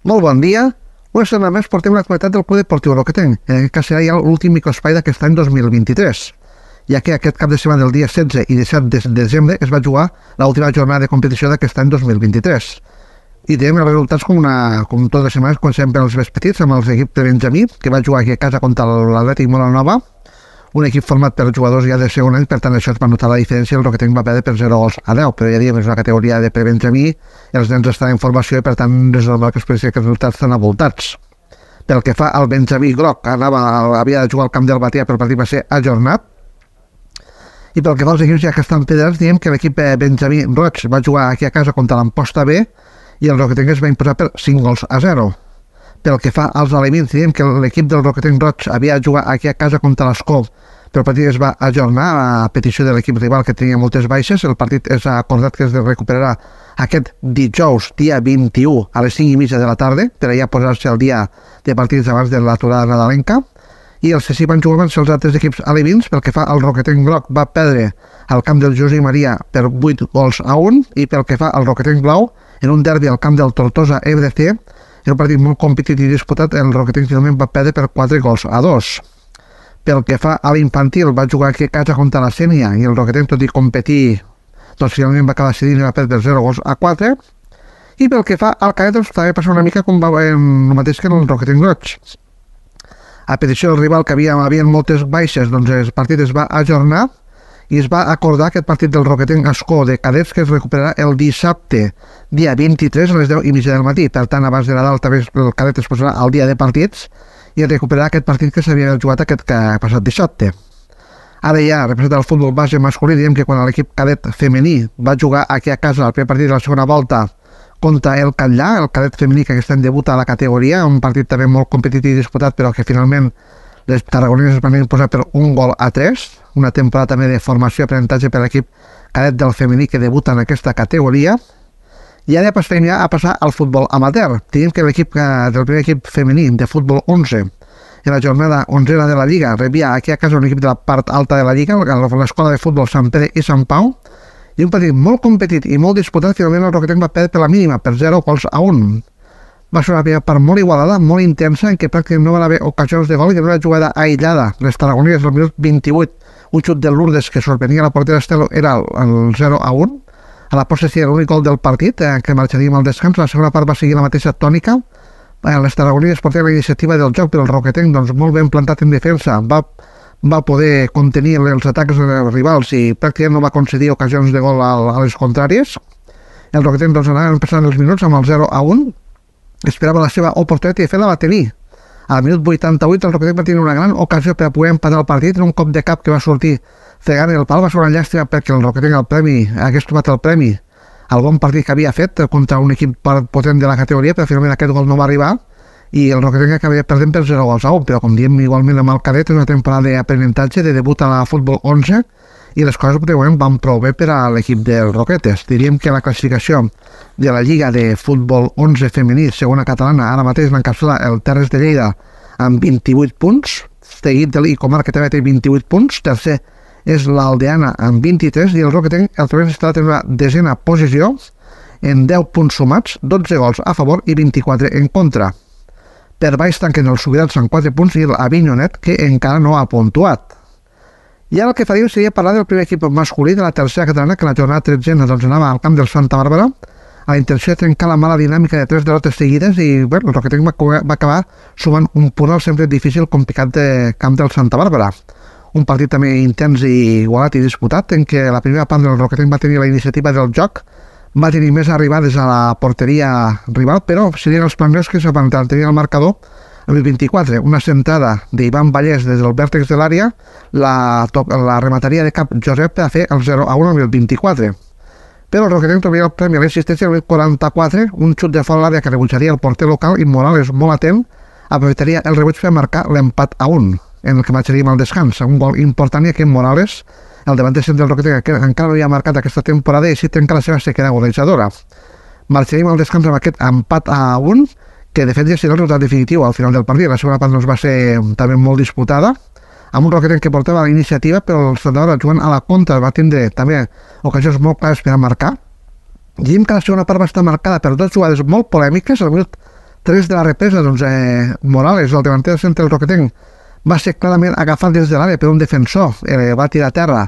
Molt bon dia. Una setmana més portem l'actualitat del Club Deportiu Roquetenc. En aquest cas serà ja l'últim microespai d'aquest any 2023, ja que aquest cap de setmana del dia 16 i 17 de desembre es va jugar l'última jornada de competició d'aquest any 2023. I tenim els resultats com totes les setmanes, comencem pels més petits, amb l'equip de Benjamí, que va jugar aquí a casa contra l'Atlètic Molanova, un equip format per jugadors ja de segon any, per tant això es va notar la diferència, el Roquetenc va perdre per 0-10, però ja diem, és una categoria de pre-Benjamí, els nens estan en formació i per tant és normal que es pensi que els resultats estan avoltats. Pel que fa al Benjamí groc, havia de jugar al camp del Batea, però el partit va ser ajornat, i pel que fa als equips ja que estan federats, diem que l'equip Benjamí roig va jugar aquí a casa contra l'Amposta B i el Roquetenc es va imposar per 5-0. Pel que fa als aliments, diem que l'equip del Roquetenc roig havia de jugar aquí a casa contra l'Escó, però el partit es va ajornar a petició de l'equip rival que tenia moltes baixes. El partit és acordat que es recuperarà aquest dijous, dia 21, a les 5:30 de la tarda, per allà posar-se al dia de partits abans de l'aturada nadalenca. I els que sí van jugar van ser els altres equips alevins. Pel que fa al Roquetenc groc, va perdre al camp del José Maria per 8-1, i pel que fa al Roquetenc blau, en un derbi al camp del Tortosa FDC, en un partit molt competit i disputat, el Roquetenc finalment va perdre per 4-2. Pel que fa a l'infantil, va jugar aquí a casa contra la Sènia i el Roquetenc, tot i competir, doncs finalment va acabar cedint i va perdre 0-4. I pel que fa al cadet, doncs també passa una mica com va el mateix que en el Roquetenc roig. A petició del rival, que havia moltes baixes, doncs el partit es va ajornar i es va acordar aquest partit del Roquetenc Escó de cadets que es recuperarà el dissabte, dia 23 a les 10:30 del matí. Per tant, abans de Nadal també el cadet es posarà al dia de partits i recuperarà aquest partit que s'havia jugat aquest passat dissabte. Ara ja, representant el futbol base masculí, diem que quan l'equip cadet femení va jugar aquí a casa el primer partit de la segona volta contra el Catllà, el cadet femení que aquest any debuta a la categoria, un partit també molt competitiu i disputat, però que finalment les tarragonines es van imposar per 1-3, una temporada també de formació i aprenentatge per l'equip cadet del femení que debuta en aquesta categoria. I ara passem ja a passar al futbol amateur. Tenim que l'equip del primer equip femení de futbol 11, en la jornada 11a de la Lliga, rebia aquí a casa un equip de la part alta de la Lliga, l'escola de futbol Sant Pere i Sant Pau, i un partit molt competit i molt disputat. Finalment el Roquetenc va perdre per la mínima, per 0-1. Va ser una primera part molt igualada, molt intensa, en què pràcticament no van haver ocasions de gol i una jugada aïllada. Les tarragonines al minut 28, un xut de Lourdes que sorprenia la portera Estelo, era el 0-1. A la possessió era l'únic gol del partit, que marxaríem al descans. La segona part va seguir la mateixa tònica. Les tarragonines portaven la iniciativa del joc, però el Roquetenc, doncs, molt ben plantat en defensa, va poder contenir els atacs dels rivals i pràcticament no va concedir ocasions de gol a les contràries. El Roquetenc, doncs, anava passant els minuts amb el 0-1, esperava la seva oportunitat i de fet la va tenir. Al minut 88 el Roquetenc va tenir una gran ocasió per a poder empatar el partit en un cop de cap que va sortir fregant el pal. Va ser una llàstima perquè el Roquetenc hagués trobat el premi al bon partit que havia fet contra un equip potent de la categoria, però finalment aquest gol no va arribar i el Roquetenc acabaria perdent per 0-1, però com diem igualment amb el cadet és una temporada d'aprenentatge, de debut a la futbol 11 i les coses van prou bé per a l'equip dels Roquetes. Diríem que la classificació de la Lliga de Futbol 11 femení, segona catalana, ara mateix l'encapçala el Terres de Lleida amb 28 punts, seguit de l'Icomar, que també té 28 punts, tercer és l'Aldeana amb 23 i el Roquetenc el trobem instal·lat en una desena posició en 10 punts sumats, 12 gols a favor i 24 en contra. Per baix tanquen els Subirats amb 4 punts i l'Avinyonet, que encara no ha puntuat. I ara el que faríem seria parlar del primer equip masculí de la tercera catalana, que la jornada 13 doncs, anava al camp del Santa Bàrbara, a la intenció de trencar la mala dinàmica de 3 derrotes seguides i el Roquetenc va acabar sumant un punt al sempre difícil complicat de camp del Santa Bàrbara. Un partit també intens i igualat i disputat, en què la primera part del Roquetenc va tenir la iniciativa del joc, va tenir més arribades a la porteria rival, però serien els plangers que van tenir el marcador amb el 24, una centrada d'Ivan Vallès des del vèrtex de l'àrea, la remataria de cap Josep per a fer el 0-1 amb el 24. Però el Roquetenc trobaria el premi a l'assistència amb el 44, un xut de fora l'àrea que rebutjaria el porter local i Morales, molt atent, aprofitaria el rebuig per marcar l'empat a 1, en el que marxaríem al descans. Un gol important i aquest Morales, el davanter centre del Roquetenc, que encara no havia marcat aquesta temporada i així trenca la seva sequera golejadora. Marxaríem al descans amb aquest empat a 1, que de fet ja serà el resultat definitiu al final del partit. La segona part va ser també molt disputada, amb un Roquetenc que portava la iniciativa, però el Santa Bàrbara jugant a la contra va tindre també ocasions molt clares per a marcar. Diem que la segona part va estar marcada per dues jugades molt polèmiques. Al minut 3 de la represa, doncs, Morales, el davanter del centre del Roquetenc, va ser clarament agafat des de l'àrea per un defensor, va tirar a terra.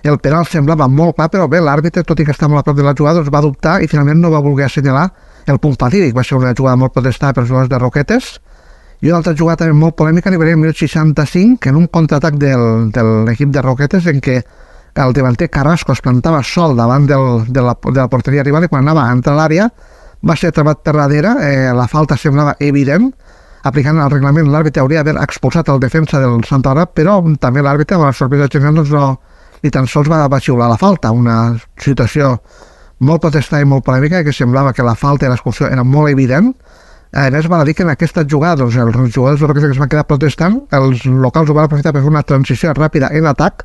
El penal semblava molt clar, però bé, l'àrbitre, tot i que estava molt a prop de la jugada, doncs va dubtar i finalment no va voler assenyalar el punt fatídic. Va ser una jugada molt protestada per els jugadors de Roquetes. I una altra jugada també molt polèmica, arribaria al minut 65, en un contraatac de l'equip de Roquetes, en què el davanter Carrasco es plantava sol davant de la porteria rival i quan anava a entrar a l'àrea va ser atrapat per darrere, la falta semblava evident, aplicant el reglament l'àrbitre hauria d'haver expulsat el defensa del Santa Laura, però també l'àrbitre, amb la sorpresa general, doncs ni tan sols va xiular la falta, una situació molt protestada i molt polèmica, que semblava que la falta i l'expulsió era molt evident. A més, val a dir que en aquesta jugada els jugadors que es van quedar protestant, els locals ho van aprofitar per fer una transició ràpida en atac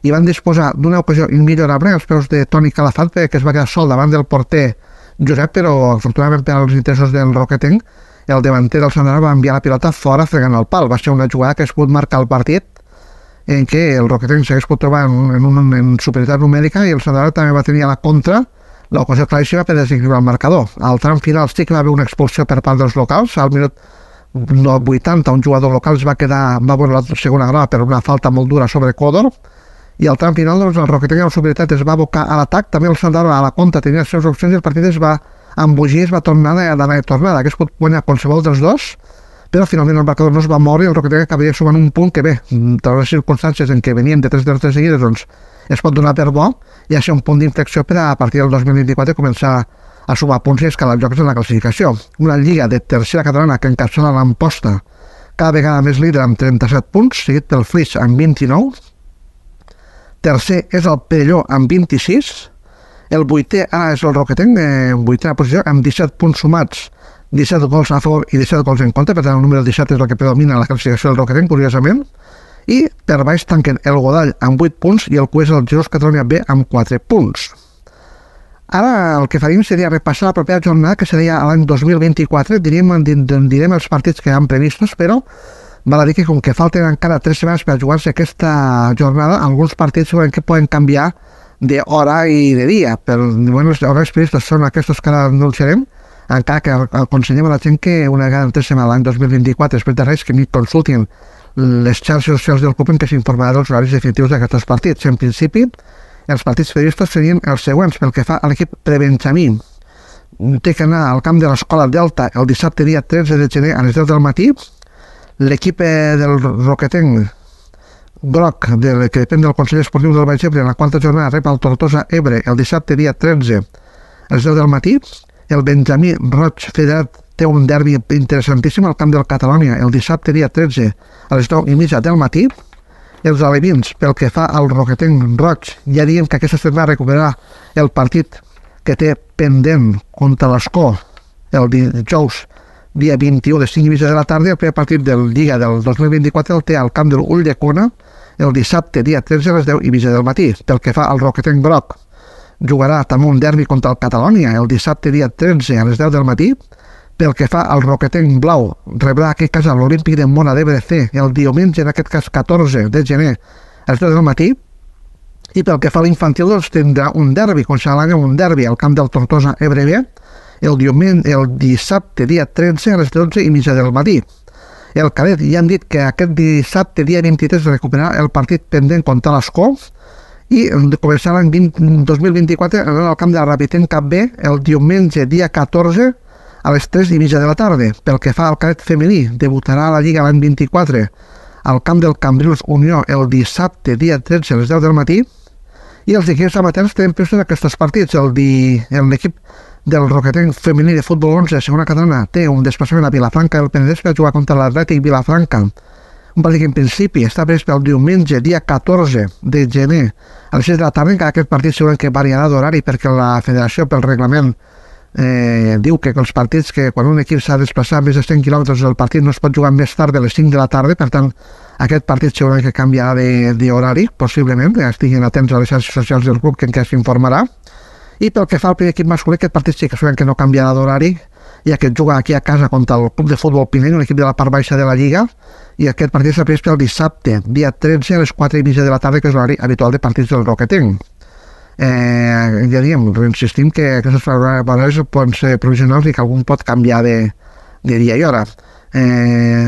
i van disposar d'una ocasió immillorable als peus de Toni Calafat, que es va quedar sol davant del porter Josep, però afortunadament per als interessos del Roquetenc, el davanter del Santa Laura va enviar la pilota fora fregant el pal. Va ser una jugada que es pot marcar el partit en què el Roquetenc s'hagués pot trobar en superioritat numèrica i el Santa Laura també va tenir a la contra l'ocasió claríssima per desequilibrar el marcador. Al tram final sí que va haver una expulsió per part dels locals. Al minut 80 un jugador local va veure la segona grava per una falta molt dura sobre Codor, i al tram final doncs, el Roquetenc en superioritat es va abocar a l'atac, també el Santa Laura a la contra tenia les seves opcions i el partit es va embogir, es va tornar d'anar i tornada. Hagués pogut guanyar qualsevol dels dos, però finalment el marcador no es va moure i el Roquetenc acabaria sumant un punt que bé, totes les circumstàncies en què venien de 3 derrotes seguides, doncs es pot donar per bo i ha ser un punt d'inflexió per a partir del 2024 començar a sumar punts i escalar jocs en la classificació. Una lliga de tercera catalana que encapçala l'Amposta cada vegada més líder amb 37 punts, seguit pel Flix amb 29, tercer és el Perelló amb 26, el vuitè ara és el Roquetenc, en vuitena posició, amb 17 punts sumats, 17 gols a favor i 17 gols en contra, per tant el número 17 és el que predomina la classificació del Roquetenc, curiosament, i per baix tanquen el Godall amb 8 punts i el Cues el Jesús Catalunya B amb 4 punts. Ara el que faríem seria repassar la propera jornada, que seria l'any 2024, direm els partits que han previstos, però val a dir que com que falten encara 3 setmanes per jugar-se aquesta jornada, alguns partits segurament que poden canviar d'hora i de dia. Per moment els horaris previstos són aquests que ara anunciarem, encara que aconsellem a la gent que una vegada en 3 setmanes l'any 2024, després de res, que ni consultin les xarxes socials del club en què s'informarà dels horaris definitius d'aquests partits. En principi, els partits previstos serien els següents. Pel que fa a l'equip prebenjamí, té que anar al camp de l'Escola Delta el dissabte dia 13 de gener a les 10 del matí. L'equip del Roquetenc groc, que depèn del Consell Esportiu del Baix Ebre, en la quarta jornada rep el Tortosa Ebre el dissabte dia 13 a les 10 del matí. El Benjamí Roig Federat té un derbi interessantíssim al camp del Catalònia el dissabte dia 13 a les 9:30 del matí. Els alevins, pel que fa al Roquetenc Roig, ja diem que aquesta setmana recuperarà el partit que té pendent contra l'Escó el dijous dia 21 de 5:30 de la tarda. El primer partit del Lliga del 2024 el té al camp de l'Ulldecona el dissabte dia 13 a les 10:30 del matí. Pel que fa al Roquetenc groc, jugarà també un derbi contra el Catalònia el dissabte dia 13 a les 10 del matí. Pel que fa al Roquetenc blau, rebrà aquest cas a l'Olímpic de Móra d'Ebre C el diumenge, en aquest cas 14 de gener a les 10 del matí. I pel que fa a l'infantil, doncs tindrà un derbi, com s'ha l'any un derbi al camp del Tortosa Ebre B el dissabte dia 13 a les 12:30 del matí. El cadet ja han dit que aquest dissabte dia 23 recuperarà el partit pendent contra l'Escó i començarà l'any 2024 al camp de la Rapitenc Cap B el diumenge dia 14 a les 3:30 de la tarda. Pel que fa al cadet femení, debutarà a la Lliga l'any 24 al camp del Cambrils Unió el dissabte dia 13 a les 10 del matí. I els equips amateurs tenen previstos aquests partits. L'equip del Roquetenc femení de futbol 11 segona catalana té un desplaçament a Vilafranca del Penedès per jugar contra l'Atlètic Vilafranca, un partit que en principi està previst pel diumenge dia 14 de gener a les 6 de la tarda. Encara aquest partit segurament que variarà d'horari perquè la federació pel reglament diu que els partits, que quan un equip s'ha de desplaçar més de 100 quilòmetres, el partit no es pot jugar més tard de les 5 de la tarda. Per tant, aquest partit segurament que canviarà d'horari, possiblement, estiguin atents a les xarxes socials del club, que encara s'informarà. I pel que fa al primer equip masculí, aquest partit sí que segurament que no canviarà d'horari, ja que juga aquí a casa contra el Club de Futbol Pinell, un equip de la part baixa de la Lliga, i aquest partit s'ha previst pel dissabte, dia 13 a les 4:30 de la tarda, que és l'horari habitual de partits del Roquetenc. Ja diem, insistim que aquestes horaris poden ser provisionals i que algun pot canviar de dia i hora.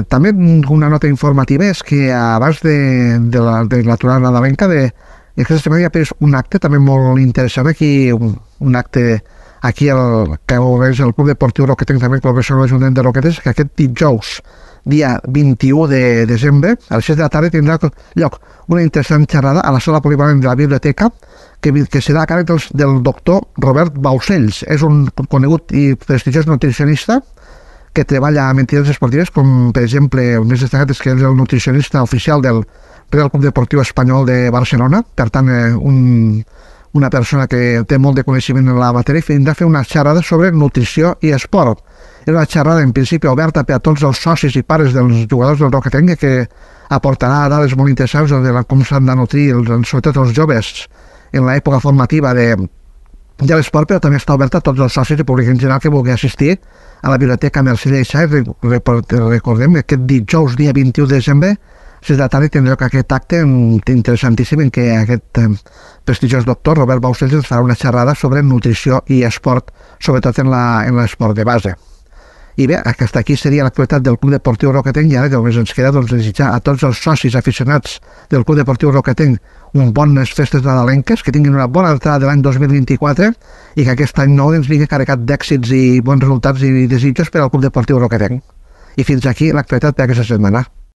També una nota informativa és que abans de l'aturada nadalenca aquesta setmana hi ha un acte també molt interessant aquí, un acte aquí que és el Club Deportiu Roquetenc, també col·laboració amb l'Ajuntament de Roquetes, que aquest dijous, dia 21 de desembre, a les 6 de la tarda tindrà lloc una interessant xerrada a la sala polivalent de la biblioteca que serà a càrrec del doctor Robert Baucells. És un conegut i prestigiós nutricionista que treballa amb entitats esportives, com per exemple el més destacat és que és el nutricionista oficial del Real Club Deportiu Espanyol de Barcelona, per tant una persona que té molt de coneixement en la matèria, i vindrà a fer una xerrada sobre nutrició i esport. És una xerrada en principi oberta per a tots els socis i pares dels jugadors del Roquetenc, que aportarà dades molt interessants de com s'han de nutrir, sobretot els joves, en l'època formativa de l'esport, però també està oberta a tots els socis i públic en general que vulgui assistir a la biblioteca Mercè Lleixà. Recordem que aquest dijous, dia 21 de desembre, 6 de la tarda, tindrà lloc aquest acte interessantíssim en què aquest prestigiós doctor Robert Baucells ens farà una xerrada sobre nutrició i esport, sobretot en l'esport de base. I bé, aquesta aquí seria l'actualitat del Club Deportiu Roquetenc, i ara només ens queda desitjar a tots els socis aficionats del Club Deportiu Roquetenc bones festes nadalenques, que tinguin una bona entrada de l'any 2024 i que aquest any nou ens vingui carregat d'èxits i bons resultats i desitjos per al Club Deportiu Roquetenc. I fins aquí l'actualitat per aquesta setmana.